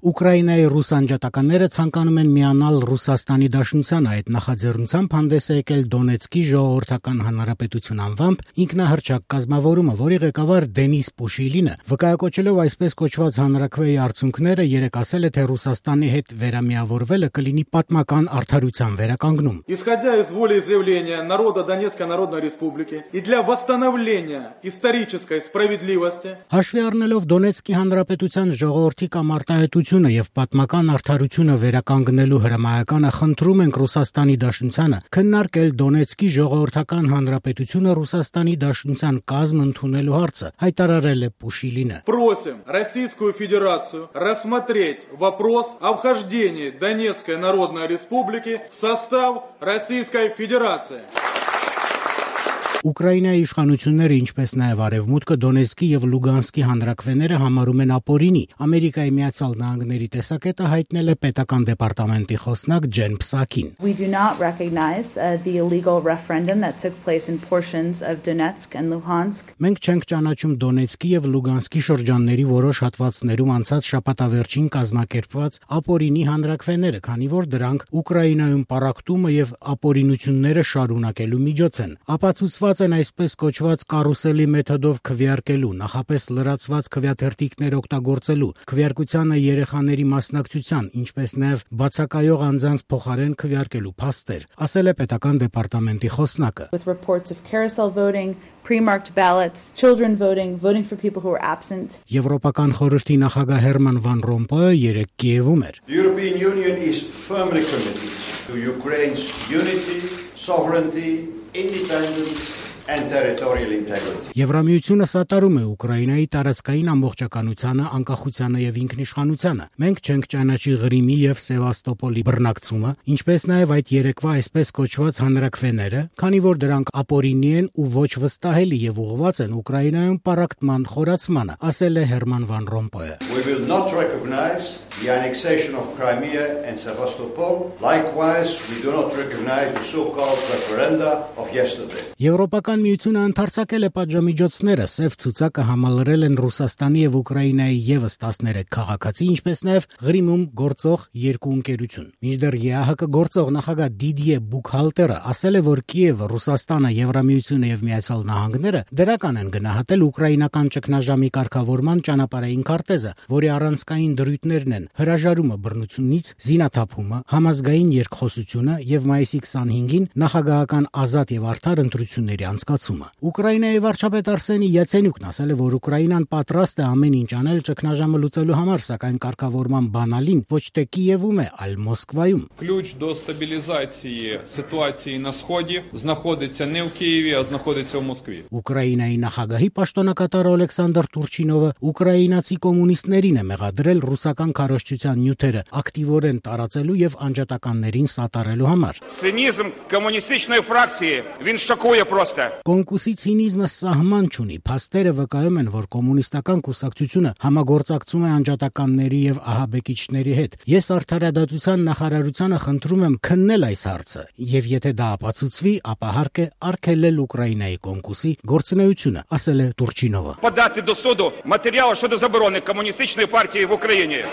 Ուկրաինայի ռուս անջատականները ցանկանում են միանալ Ռուսաստանի Դաշնությանը, այդ նախաձեռնությամբ հանդես է եկել Դոնեցկի ժողովրդական հանրապետություն անվամբ ինքնահռչակ կազմավորումը, որի ղեկավար Դենիս Պուշիլինը, վկայակոչելով այսպես կոչված հանրաքվեի արդյունքները, երեկ ասել է, թե Ռուսաստանի հետ վերամիավորվելը կլինի պատմական արդարության վերականգնում։ Исходя из волеизъявления народа Донецкой Народной Республики и для восстановления исторической справедливости, հաշվի առնելով Դոնեցկի հանրապետության ժողովրդի կամ արտահայտությունը եւ պատմական արդարությունը վերականգնելու հրամայականը խնդրում ենք Ռուսաստանի Դաշնությանը քննարկել Դոնեցկի ժողովրդական հանրապետությունը Ռուսաստանի Դաշնության կազմ ընդունելու հարցը, հայտարարել է Պուշիլինը։ Просим Российскую Федерацию рассмотреть вопрос о вхождении Донецкой Народной Республики в состав Российской Федерации. Ուկրաինայի իշխանությունները, ինչպես նաև Արևմուտքը, Դոնեցկի եւ Լուգանսկի հանրաքվեները համարում են ապօրինի։ Ամերիկայի Միացյալ Նահանգների տեսակետը հայտնել է պետական դեպարտամենտի խոսնակ Ջեն Պսակին։ We do not recognize the illegal referendum that took place in portions of Donetsk and Luhansk. Մենք չենք ճանաչում Դոնեցկի եւ Լուգանսկի շրջանների որոշ հատվածներում անցած շաբաթավերջին կազմակերպված ապօրինի հանրաքվեները, քանի որ դրանք Ուկրաինայում պառակտումը եւ ապօրինությունները շարունակելու միջոց են։ Ապացուցված են այսպես կոչված կարուսելի մեթոդով քվեարկելու, նախապես լրացված քվեաթերթիկներ օգտագործելու, քվեարկությանը երեխաների մասնակցության, ինչպես նաև բացակայող անձանց փոխարեն քվեարկելու փաստեր, ասել է պետական դեպարտամենտի խոսնակը։ With reports of carousel voting, pre-marked ballots, children voting, voting for people who were absent. Եվրոպական խորհրդի նախագահ Հերման Վան Ռոմպոյը երեկ Կիևում էր։ The European Union is firmly committed to Ukraine's unity, sovereignty, independence and territorial integrity. Եվրամիությունը սատարում է Ուկրաինայի տարածքային ամբողջականությանը, անկախությանը եւ ինքնիշխանությանը։ Մենք չենք ճանաչի Ղրիմի եւ Սևաստոպոլի բռնակցումը, ինչպես նաեւ այդ երեկվա այսպես կոչված հանրաքվեները, քանի որ դրանք ապօրինի են ու ոչ վստահելի եւ ուղղված են Ուկրաինայում պառակտման խորացմանը, ասել է Հերման Վան Ռոմպոյը։ We will not recognize the annexation of Crimea and Sevastopol. Likewise, we do not recognize the so-called referenda of yesterday. Եվրոպական միությունը ընդարձակել է պատժամիջոցները, սև ցուցակը համալրել են Ռուսաստանի եւ Ուկրաինայի եւս 13 քաղաքացի, ինչպես նաեւ Ղրիմում գործող երկու ընկերություն։ Մինչդեռ ԵԱՀԿ գործող նախագահ Դիդիե Բուքհալտերը ասել է, որ Կիևը, Ռուսաստանը, Եվրամիությունը եւ Միացյալ Նահանգները դրական են գնահատել ուկրաինական ճգնաժամի կարգավորման ճանապարհային քարտեզը, որի առանցքային դրույթներն են հրաժարումը բռնությունից, զինաթափումը, համազգային երկխոսությունը եւ մայիսի 25-ին նախագահական ազատ եւ արդար ընտրությունների անցկացումը։ Ուկրաինայի վարչապետ Արսենի Յացենյուկն ասել է, որ Ուկրաինան պատրաստ է ամեն ինչ անել ճգնաժամը լուծելու համար, սակայն կարգավորման բանալին ոչ թե Կիևում է, այլ Մոսկվայում։ Ключ до стабілізації ситуації на сході знаходиться не в Києві, а знаходиться в Москві. Ուկրաինայի նախագահի պաշտոնակատար Ալեքսանդր Տուրչինովը ուկրաինացի կոմունիստներին է մեղադրել ռուսական քարոզչության նյութերը ակտիվորեն տարածելու եւ անջատականներին սատարելու համար։ Цинизм коммунистичной фракции, він шокує просто. Կոնկուսի ցինիզմը սահման չունի։ Փաստերը վկայում են, որ կոմունիստական կուսակցությունը համագործակցում է անջատականների եւ ահաբեկիչների հետ։ Ես արդարադատության նախարարությանը խնդրում եմ քննել այս հարցը, եւ եթե դա ապացուցվի, ապա հարկ է արգելել Ուկրաինայի կոնկուսի գործունեությունը, ասել է Տուրչինովը։ Подати до суду матеріал щодо заборони комуністичної партії в Україні.